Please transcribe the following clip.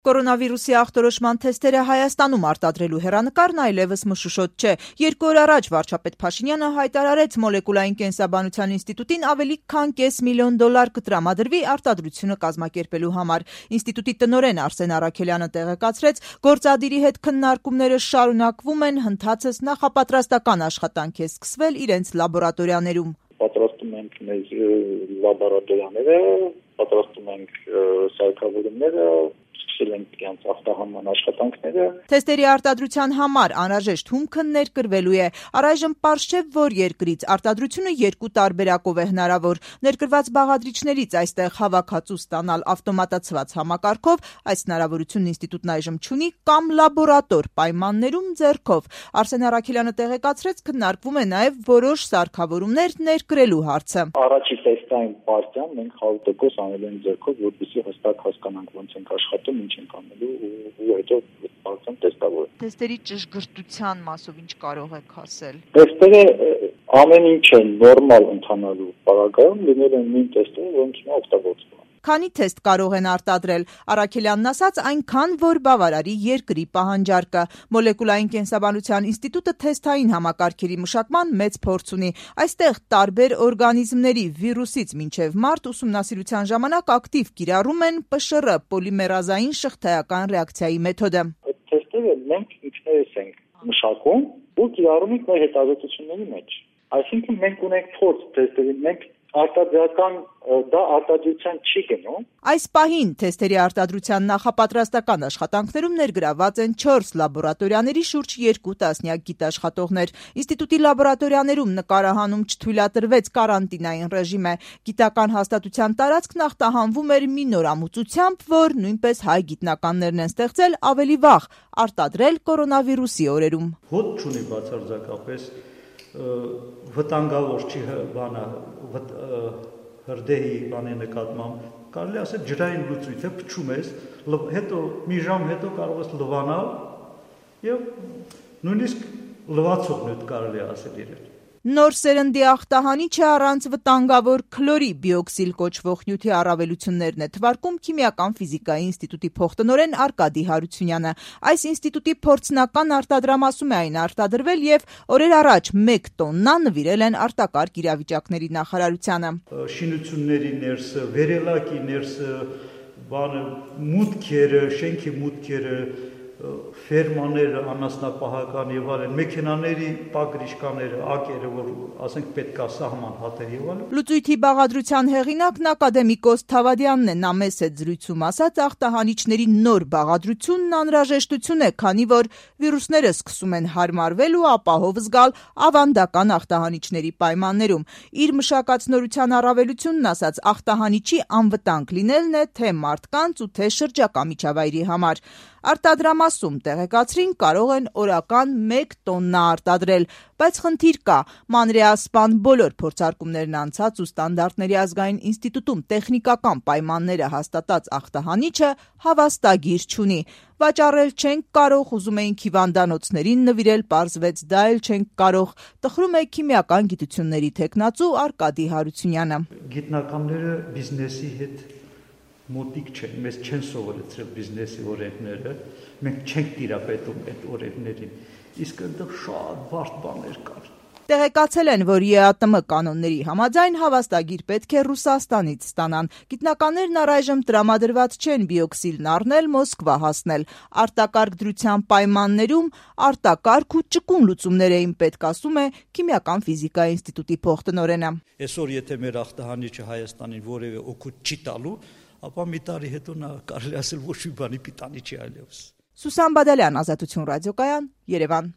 Կորոնավիրուսի ախտորոշման թեստերը Հայաստանում արտադրելու հեռանկարն այլևս մշուշոտ չէ։ 2 օր առաջ վարչապետ Փաշինյանը հայտարարեց մոլեկուլային կենսաբանության ինստիտուտին ավելի քան $500,000 կտրամադրվի արտադրությունը կազմակերպելու համար։ Ինստիտուտի տնօրեն Արսեն Առաքելյանը տեղեկացրեց, գործադիրի հետ քննարկումները շարունակվում են, հնդածս նախապատրաստական աշխատանք է սկսվել իրենց լաբորատորիաներում։ Պատրաստում ենք մեր լաբորատորիաները, պատրաստում ենք սարքավորումները, սկսել ենք իրենց ախտահանման աշխատանքները։ Թեստերի արտադրության համար անհրաժեշտ հումքը ներկրվելու է։ Առայժմ պարզ չէ, որ երկրից արտադրությունը 2 տարբերակով է հնարավոր։ Ներկրված բաղադրիչներից այստեղ հավաքածու ստանալ ավտոմատացված համակարգով, այս հնարավորությունն ինստիտուտն այժմ չունի, կամ լաբորատոր պայմաններում ձեռքով։ Արսեն Առաքելյանը տեղեկացրեց, քննարկվում է նաև որոշ սարքավորումներ ներկրելու հարցը։ Առաջի տեստային պարտիան մենք 100% անել ենք ձեռքով, որպեսզի հստակ հասկանանք ոնց ենք աշխատում, ինչ ենք անելու ու հետո արդեն տեստավորել։ Թեստերի ճշգրտության մասով ինչ կարող եք ասել։ Թեստերը ամեն ինչ է նորմալ ընթանալու պարագայում լինել են նույն թեստերը, որոնք հիմա օգտագործվում են։ Քանի թեստ կարող են արտադրել, Առաքելյանն ասաց, այնքան, որ բավարարի երկրի պահանջարկը։ Մոլեկուլային կենսաբանության ինստիտուտը թեստային համակարգերի մշակման մեծ փորձ ունի։ Այստեղ տարբեր օրգանիզմների վիրուսից մինչև մարդ ուսումնասիրության ժամանակ ակտիվ կիրառում են ՊՇՌ պոլիմերազային շղթայական ռեակցիայի մեթոդը։ Այդ թեստերը մենք ինքներս ենք մշակում ու կիրառում ենք մեր հետազոտությունների մեջ։ Այսինքն մենք ունենք փորձ թեստերի, մենք արտադրական դա արտադրության չի գնում։ Այս պահին թեստերի արտադրության նախապատրաստական աշխատանքներում ներգրաված են 4 լաբորատորիաների շուրջ 2 տասնյակ գիտաշխատողներ։ Ինստիտուտի լաբորատորիաներում նկարահանում չթույլատրվեց կարանտինային ռեժիմը։ Գիտական հաստատության տարածքն ախտահանվում էր մի նորամուծությամբ, որ նույնպես հայ գիտնականներն են ստեղծել ավելի վաղ արտադրել կորոնավիրուսի օրերում։ Հոտ չունի բացարձակապես վտանգավոր չի հրդեհի բանի նկատմամբ, կարելի ասել ջրային լուծույթ է, փչում ես, հետո մի ժամ հետո կարող ես լվանալ եւ նույնիսկ լվացող նյութ կարելի ասել իրեն։ Նոր սերնդի ախտահանիչը առանց վտանգավոր քլորի բիօքսիլ կոչվող նյութի առավելություններն է թվարկում Քիմիական ֆիզիկայի ինստիտուտի փոխտնօրեն Արկադի Հարությունյանը։ Այս ինստիտուտի փորձնական արտադրամասում է այն արտադրվել եւ օրեր առաջ 1 տոննա նվիրել են արտակարգ իրավիճակների նախարարությանը։ Շինությունների ներսը, վերելակի ներսը, մուտքերը, շենքի մուտքերը, ֆերմաները, անասնապահական եւ այլն, մեքենաների պագրիշկաները, ակերը, որ ասենք պետք է սահման հատեր եւ այլն։ Լուծույթի բաղադրության հեղինակն ակադեմիկոս Թավադյանն է, նա մեծ է զրույցում ասաց, ախտահանիչների նոր բաղադրությունն անհրաժեշտություն է, քանի որ վիրուսները սկսում են հարմարվել ու ապահով զգալ ավանդական ախտահանիչների պայմաններում։ Իր մշակած նորության առավելությունն ասաց, ախտահանիչի անվտանգ լինելն է թե մարդկանց ու թե շրջակա միջավայրի համար։ Արտադրամասում տեղեկացրին կարող են օրական 1 տոննա արտադրել, բայց խնդիր կա, մանրէասպան բոլոր փորձարկումներն անցած ու ստանդարտների ազգային ինստիտուտում տեխնիկական պայմանները հաստատած ախտահանիչը հավաստագիր չունի։ Վաճառել չենք կարող, ուզում էինք հիվանդանոցներին նվիրել, պարզվեց դա էլ չենք կարող, տխրում է քիմիական գիտությունների թեկնածու Արկադի Հարությունյանը։ Գիտնականները բիզնեսի հետ մոտիկ չեն, մեզ չեն սովորեցրել բիզնեսի օրենքները, մենք չենք տիրապետում այդ օրենքներին, իսկ այնտեղ շատ բարդ բաներ կար։ Տեղեկացել են, որ ԵԱՏՄ կանոնների համաձայն հավաստագիր պետք է Ռուսաստանից ստանան։ Գիտնականներն առայժմ տրամադրված չեն բիօքսիլն առնել, Մոսկվա հասնել։ Արտակարգ դրության պայմաններում արտակարգ ու ճկուն լուծումներ էին պետք, ասում է Քիմիական ֆիզիկայի ինստիտուտի փոխտնօրենը։ Այսօր եթե մեր ախտահանիչը Հայաստանին որևէ օգուտ չի տալու, ապա մի տարի հետո նա կարելի ասել ոչ մի բանի պիտանի չի այլևս։ Սուսան Բադալյան, Ազատություն ռադիոկայան, Երևան։